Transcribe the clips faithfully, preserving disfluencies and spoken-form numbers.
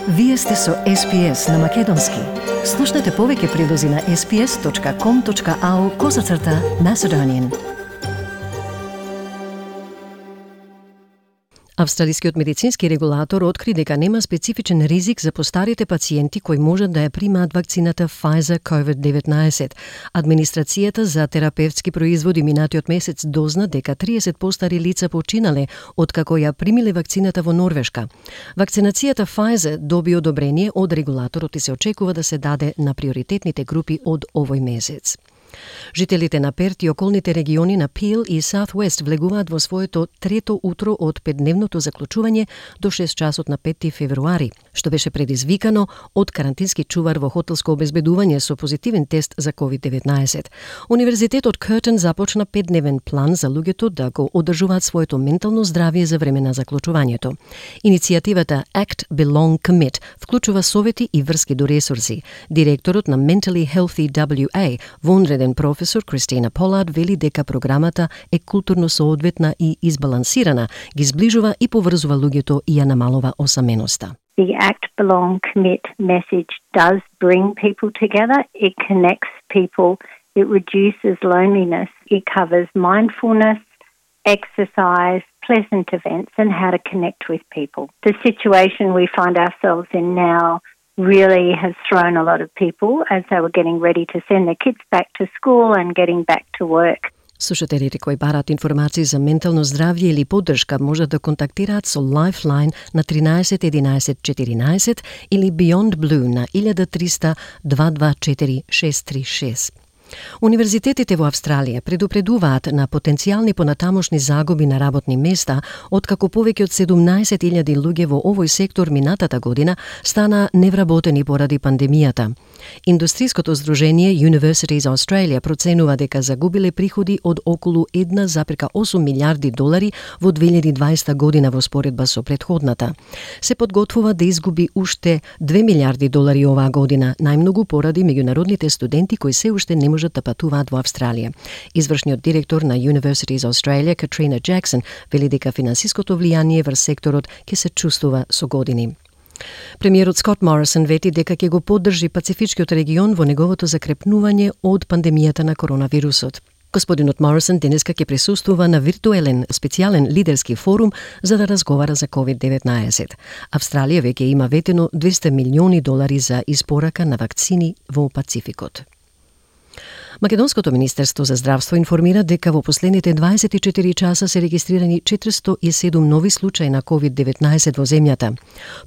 Вие сте со Ес Би Ес на Македонски. Слушнете повеќе прилози на ес би ес точка ком точка ау козацрта Macedonian. Австралискиот медицински регулатор откри дека нема специфичен ризик за постарите пациенти кои можат да ја примаат вакцината Pfizer ковид деветнаесет. Администрацијата за терапевтски производи минатиот месец дозна дека триесет постари лица починале откако ја примиле вакцината во Норвешка. Вакцинацијата Pfizer доби одобрение од регулаторот и се очекува да се даде на приоритетните групи од овој месец. Жителите на Перт и околните региони на Пил и Саутвест влегуваат во своето трето утро од петдневното заклучување до шест часот на петти февруари, што беше предизвикано од карантински чувар во хотелско обезбедување со позитивен тест за ковид деветнаесет. Универзитетот Кертон започна петдневен план за луѓето да го одржуваат своето ментално здравје за време на заклучувањето. Иницијативата Act Belong Commit вклучува совети и врски до ресурси. Директорот на Mentally Healthy дабљу ей, вонреден професор Кристина Полард вели дека програмата е културно соодветна и избалансирана, ги зближува и поврзува луѓето и ја намалува осаменоста. The Act Belong Commit message does bring people together. It connects people. It reduces loneliness. It covers mindfulness, exercise, pleasant events and how to connect with people. The situation we find ourselves in now really has thrown a lot of people as they were getting ready to send their kids back to school and getting back to work. Слушателите кои бараат информации за ментално здравје или поддршка можат да контактираат со Lifeline на тринаесет единаесет четиринаесет или Beyond Blue на илјада триста дваесет и две четири шест три шест. Универзитетите во Австралија предупредуваат на потенцијални понатамошни загуби на работни места, откако повеќе од седумнаесет илјади луѓе во овој сектор минатата година стана невработени поради пандемијата. Индустриското здружение Universities Australia проценува дека загубиле приходи од околу една зарез осум милијарди долари во две илјади и дваесета година во споредба со претходната. Се подготвува да изгуби уште две милијарди долари оваа година, најмногу поради меѓународните студенти кои се уште не можат да патуваат во Австралија. Извршниот директор на Universities Australia, Катрина Джексон, вели дека финансиското влијание врз секторот ќе се чувствува со години. Премиерот Скот Морисон вети дека ќе го поддржи Пацифичкиот регион во неговото закрепнување од пандемијата на коронавирусот. Господинот Морисон денеска ќе присуствува на виртуелен специјален лидерски форум за да разговара за ковид деветнаесет. Австралија веќе има ветено двесте милиони долари за испорака на вакцини во Пацификот. Македонското Министерство за здравство информира дека во последните дваесет и четири часа се регистрирани четиристотини и седум нови случаи на ковид деветнаесет во земјата.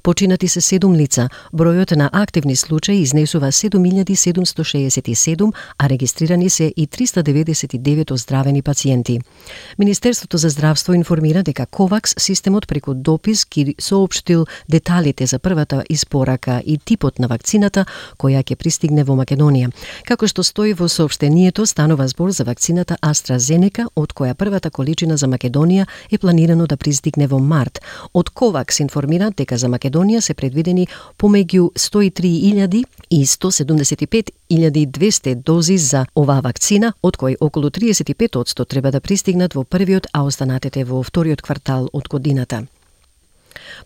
Починати се седум лица, бројот на активни случаи изнесува седум илјади седумстотини шеесет и седум, а регистрирани се и триста деветдесет и девет оздравени пациенти. Министерството за здравство информира дека Ковакс системот преку допис ги соопштил деталите за првата испорака и типот на вакцината која ќе пристигне во Македонија. Како што стои во соопштението, станува збор за вакцината AstraZeneca, од која првата количина за Македонија е планирано да пристигне во март. Од Ковакс информира дека за Македонија се предвидени помеѓу сто и три илјади и сто седумдесет и пет илјади и двесте дози за оваа вакцина, од кои околу триесет и пет одсто треба да пристигнат во првиот, а останатите во вториот квартал од годината.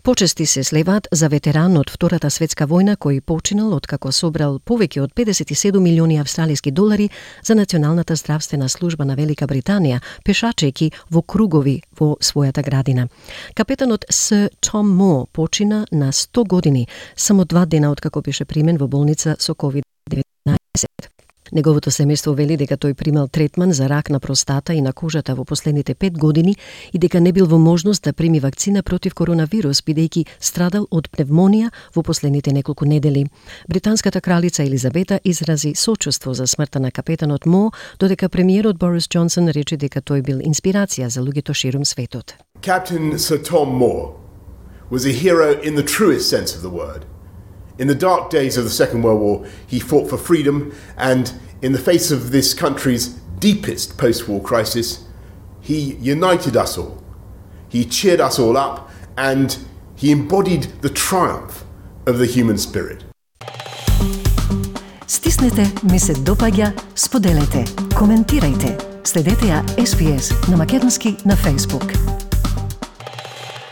Почести се слеваат за ветеран од Втората светска војна кој починал откако собрал повеќе од педесет и седум милиони австралиски долари за Националната здравствена служба на Велика Британија, пешачејќи во кругови во својата градина. Капетанот Сир Том Мо почина на сто години, само два дена откако беше примен во болница со ковид деветнаесет. Неговото семејство вели дека тој примал третман за рак на простата и на кожата во последните пет години и дека не бил во можност да прими вакцина против коронавирус, бидејќи страдал од пневмонија во последните неколку недели. Британската кралица Елизабета изрази сочувство за смртта на капетанот Мо, додека премиерот Борис Џонсон рече дека тој бил инспирација за луѓето ширум светот. Captain Sir Tom Moore was a hero in the truest sense of the word. In the dark days of the Second World War, he fought for freedom, and in the face of this country's deepest post-war crisis, he united us all. He cheered us all up, and he embodied the triumph of the human spirit. Стиснете, ми се допаѓа, споделете, коментирајте. Следете ја Ес Би Ес на Македонски на Facebook.